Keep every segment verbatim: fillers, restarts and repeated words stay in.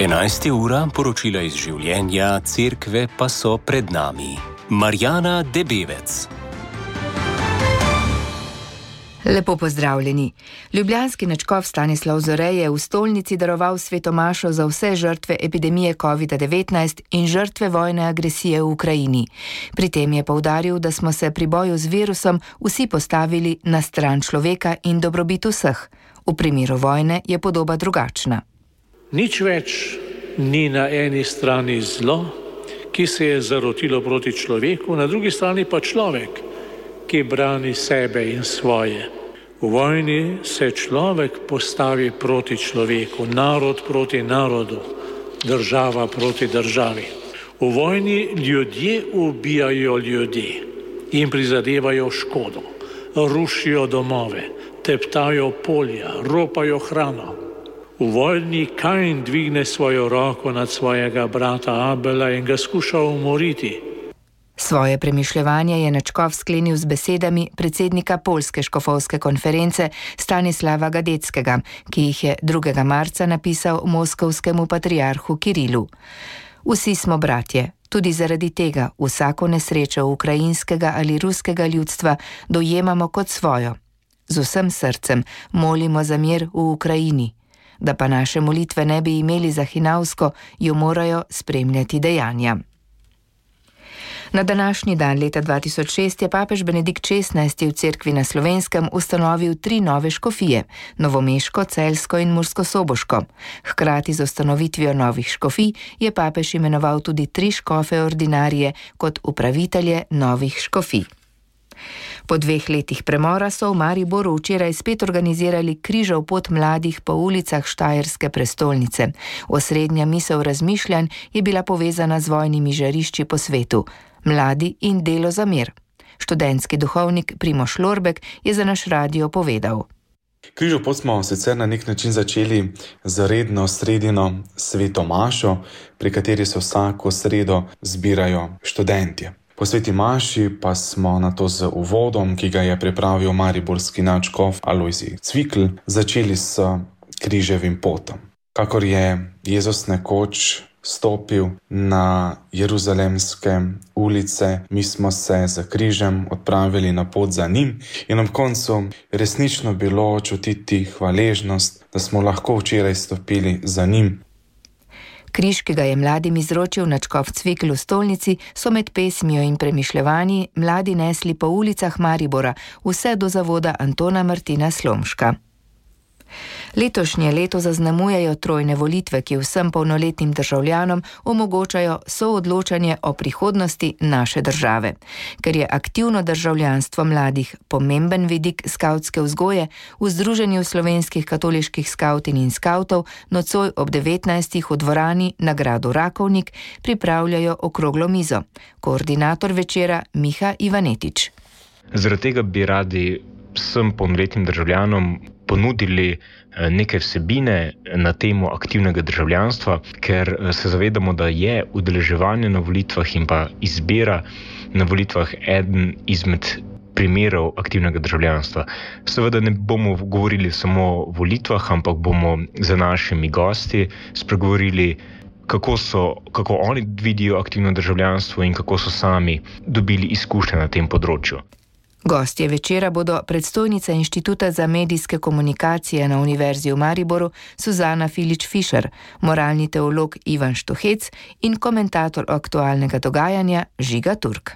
enajsta ura, poročila iz življenja, cerkve pa so pred nami. Marjana Debevec. Lepo pozdravljeni. Ljubljanski nadškof Stanislav Zore je v stolnici daroval svetomašo za vse žrtve epidemije covid devetnajst in žrtve vojne agresije v Ukrajini. Pri tem je poudaril, da smo se pri boju z virusom vsi postavili na stran človeka in dobrobit vseh. V primeru vojne je podoba drugačna. Nič več ni na eni strani zlo, ki se je zarotilo proti človeku, na drugi strani pa človek, ki brani sebe in svoje. V vojni se človek postavi proti človeku, narod proti narodu, država proti državi. V vojni ljudje ubijajo ljudi in prizadevajo škodo, rušijo domove, teptajo polja, ropajo hrano. V vojni Kain dvigne svojo roko nad svojega brata Abela in ga skuša umoriti. Svoje premišljevanje je nadškof sklenil z besedami predsednika Poljske škofovske konference Stanislava Gadeckega, ki jih je drugega marca napisal moskovskemu patriarhu Kirilu. Vsi smo bratje, tudi zaradi tega vsako nesrečo ukrajinskega ali ruskega ljudstva dojemamo kot svojo. Z vsem srcem molimo za mir v Ukrajini. Da pa naše molitve ne bi imeli za hinavsko, jo morajo spremljati dejanja. Na današnji dan leta dva tisoč šest je papež Benedikt šestnajsti v cerkvi na Slovenskem ustanovil tri nove škofije, novomeško, celjsko in murskosoboško. Hkrati z ustanovitvijo novih škofij je papež imenoval tudi tri škofe ordinarije kot upravitelje novih škofij. Po dveh letih premora so v Mariboru včeraj spet organizirali križev pot mladih po ulicah štajerske prestolnice. Osrednja misel razmišljanj je bila povezana z vojnimi žarišči po svetu. Mladi in delo za mir. Študentski duhovnik Primož Lorbek je za naš radio povedal. Križev pot smo sicer na nek način začeli z redno sredino svetomašo, pri kateri se vsako sredo zbirajo študentje. Po sveti maši pa smo nato z uvodom, ki ga je pripravil mariborski nadškof Alojzij Cvikl, začeli s križevim potom. Kakor je Jezus nekoč stopil na jeruzalemske ulice, mi smo se z križem odpravili na pot za njim in ob koncu resnično bilo čutiti hvaležnost, da smo lahko včeraj stopili za njim. Križ, ki ga je mladim izročil nadškof Cvikl v stolnici, so med pesmijo in premišljevanji mladi nesli po ulicah Maribora, vse do zavoda Antona Martina Slomška. Letošnje leto zaznamujejo trojne volitve, ki vsem polnoletnim državljanom omogočajo soodločanje o prihodnosti naše države. Ker je aktivno državljanstvo mladih pomemben vidik skavtske vzgoje, v Združenju slovenskih katoliških skavtin in skavtov nocoj ob devetnajstih v dvorani na gradu Rakovnik pripravljajo okroglo mizo. Koordinator večera Miha Ivanetič. Zaradi tega bi radi vsem polnoletnim državljanom ponudili neke vsebine na temo aktivnega državljanstva, ker se zavedamo, da je udeleževanje na volitvah in pa izbira na volitvah eden izmed primerov aktivnega državljanstva. Seveda ne bomo govorili samo o volitvah, ampak bomo za našimi gosti spregovorili, kako so, kako oni vidijo aktivno državljanstvo in kako so sami dobili izkušnje na tem področju. Gostje večera bodo predstojnica Inštituta za medijske komunikacije na Univerzi v Mariboru Suzana Filič-Fišer, moralni teolog Ivan Štuhec in komentator aktualnega dogajanja Žiga Turk.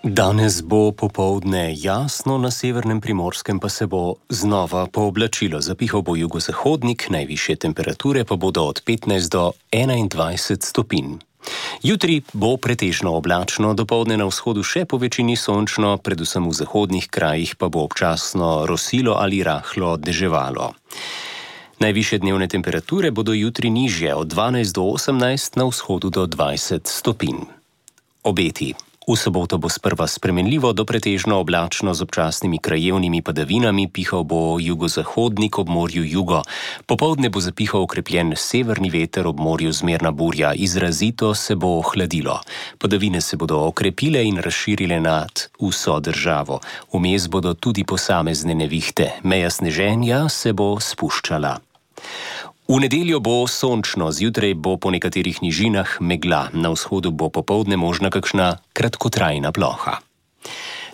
Danes bo popoldne jasno, na severnem Primorskem pa se bo znova pooblačilo. Zapihal bo jugozahodnik, najvišje temperature pa bodo od petnajst do enaindvajset stopinj. Jutri bo pretežno oblačno, dopoldne na vzhodu še po večini sončno, predvsem v zahodnih krajih pa bo občasno rosilo ali rahlo deževalo. Najvišje dnevne temperature bodo jutri nižje, od dvanajst do osemnajst, na vzhodu do dvajset stopinj. Obeti. V soboto bo sprva spremenljivo do pretežno oblačno z občasnimi krajevnimi padavinami, pihal bo jugozahodnik ob morju jugo. Popoldne bo zapihal okrepljen severni veter, ob morju zmerna burja, izrazito se bo ohladilo. Padavine se bodo okrepile in razširile nad vso državo. Vmes bodo tudi posamezne nevihte. Meja sneženja se bo spuščala. V nedeljo bo sončno, zjutraj bo po nekaterih nižinah megla, na vzhodu bo popoldne možna kakšna kratkotrajna ploha.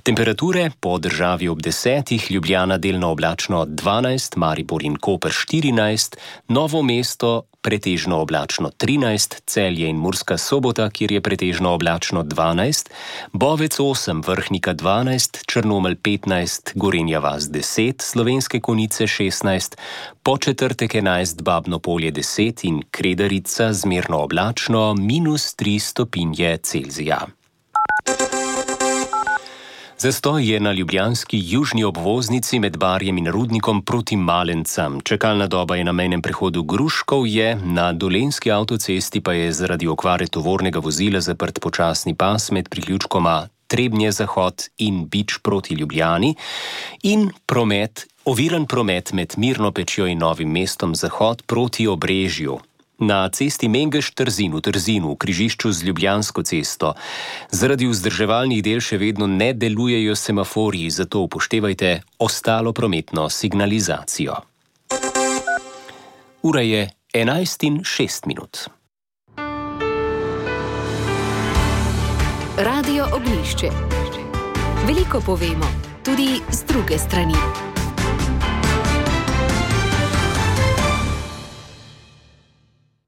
Temperature po državi ob desetih, Ljubljana delno oblačno dvanajst, Maribor in Koper štirinajst, Novo mesto pretežno oblačno trinajst, Celje in Murska Sobota, kjer je pretežno oblačno dvanajst, Bovec osem, Vrhnika dvanajst, Črnomelj petnajst, Gorenja vas deset, Slovenske Konjice šestnajst, Podčetrtek enajst, Babno Polje deset in Kredarica zmerno oblačno minus tri stopinje Celzija. Zastoj je na ljubljanski južni obvoznici med Barjem in Rudnikom proti Malencam. Čakalna doba je na mejnem prehodu Gruškovje, na Dolenjski avtocesti pa je zaradi okvare tovornega vozila zaprt počasni pas med priključkoma Trebnje zahod in Bič proti Ljubljani in promet, oviran promet med Mirno Pečjo in Novim mestom zahod proti Obrežju. Na cesti Mengeš-Trzin v Trzinu, v križišču z Ljubljansko cesto, zaradi vzdrževalnih del še vedno ne delujejo semaforji, zato upoštevajte ostalo prometno signalizacijo. Ura je enajst in šest minut. Radio Oglišče. Veliko povemo, tudi z druge strani.